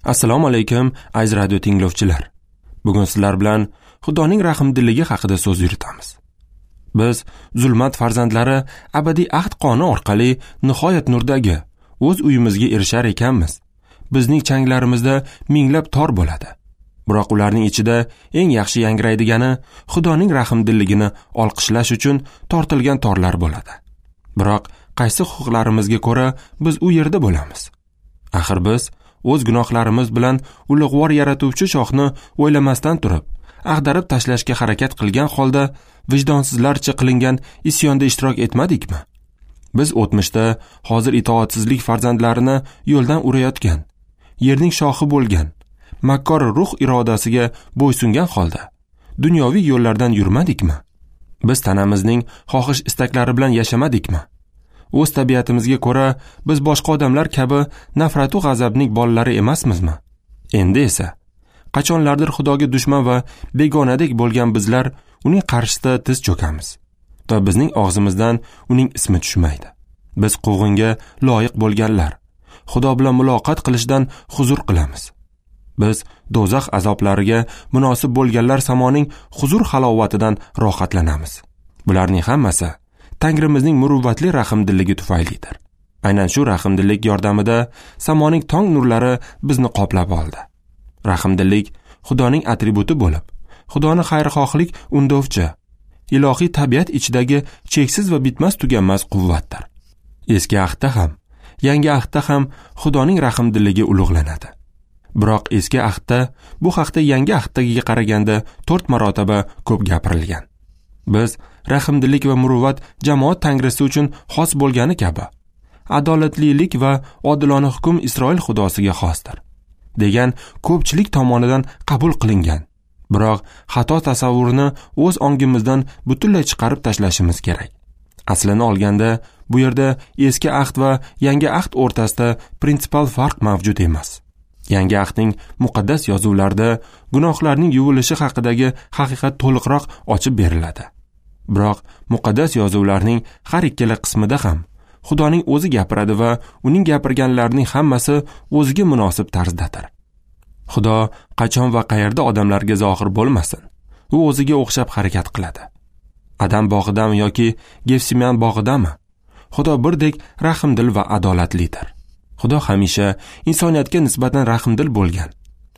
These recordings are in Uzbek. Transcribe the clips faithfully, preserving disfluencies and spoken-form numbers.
Assalomu alaykum, aziz radio tinglovchilar. Bugun sizlar bilan Xudoning rahmdilligi haqida so'z yuritamiz. Biz zulmat farzandlari abadiy ahd qoni orqali nihoyat nurdagi o'z uyimizga erishar ekanmiz. Bizning changlarimizda minglab tor bo'ladi. Biroq ularning ichida eng yaxshi yangraydigani Xudoning rahmdilligini olqishlash uchun tortilgan torlar bo'ladi. Biroq qaysi huquqlarimizga ko'ra biz u yerda bo'lamiz? Axir biz o'z gunohlarimiz bilan ulug'vor yaratuvchi shohni o'ylamasdan turib, ag'darib tashlashga harakat qilgan holda vijdonsizlarcha qilingan isyonda ishtirok etmadikmi? Biz o'tmishda hozir itoatsizlik farzandlarini yo'ldan urayotgan, yerning shohi bo'lgan, makkor ruh irodasiga bo'ysungan holda dunyoviy yo'llardan yurmadikmi? Biz tanamizning xohish istaklari bilan yashamadikmi? O'z tabiatimizga ko'ra biz boshqa odamlar kabi nafratu g'azabning bolalari emasmizmi? Endi esa qachonlardir Xudoga dushman va begonadek bo'lgan bizlar uning qarshisida tiz cho'kamiz va bizning og'zimizdan uning ismi tushmaydi. Biz quvg'inga loyiq bo'lganlar Xudo bilan muloqot qilishdan huzur qilamiz. Biz do'zax azoblariga munosib bo'lganlar samoning huzur halovatidan rohatlanamiz. Bularning hammasi Tangrimizning muruvvatli rahmdilligi tufaylidir. Aynan shu rahmdillik yordamida samoning tong nurlari bizni qoplab oldi. Rahmdillik Xudoning atributi bo'lib, Xudoni xayrixohlik undovchi, ilohiy tabiat ichidagi cheksiz va bitmas tuganmas quvvatdir. Eski ahdda ham, yangi ahdda ham Xudoning rahmdilligi ulug'lanadi. Biroq eski ahdda bu haqda yangi ahddagi qaraganda to'rt marotaba ko'p gapirilgan. Biz rahmdillik va muruvvat jamoat tangrisi uchun xos bo'lgani kabi, adolatlilik va odilona hukm Isroil xudosiga xosdir degan ko'pchilik tomonidan qabul qilingan. Biroq xato tasavvurni o'z ongimizdan butunlay chiqarib tashlashimiz kerak. Aslini olganda bu yerda eski ahd va yangi ahd o'rtasida prinsipial farq mavjud emas. Yangi ahdning muqaddas yozuvlarida gunohlarning yuvilishi haqidagi haqiqat to'liqroq ochib beriladi. Biroq muqaddas yozuvlarning har ikkala qismida ham Xudoning o'zi gapiradi va uning gapirganlarining hammasi o'ziga munosib tarzdadir. Xudo qachon va qayerda odamlarga zohir bo'lmasin, u o'ziga o'xshab harakat qiladi. Adam bog'idami yoki Gefsiman bog'idami? Xudo birdek rahmdil va adolatlidir. Xudo hamisha insoniyatga nisbatan rahmdil bo'lgan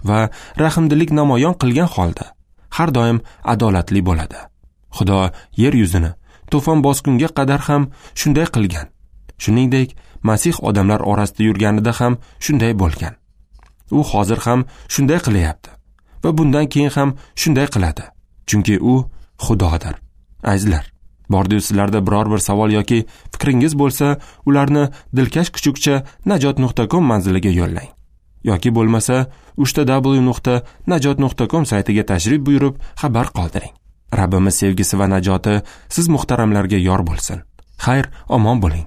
va rahmdillik namoyon qilgan holda har doim adolatli bo'ladi. Xudo yer yuzini to'fon bosqunga qadar ham shunday qilgan. Shuningdek, Masih odamlar orasida yurganida ham shunday bo'lgan. U hozir ham shunday qilyapti va bundan keyin ham shunday qiladi. Chunki u Xudodir. Azizlar, bordi sizlarda biror bir savol yoki fikringiz bo'lsa, ularni dilkash kuchukcha najot nuqta com manziliga yo'llang. Yoki bo'lmasa uch w nuqta najot nuqta com saytiga tashrif buyurib xabar qoldiring. Rabbimiz sevgisi va najoti siz muhtaramlarga yor bo'lsin. Xayr, omon bo'ling.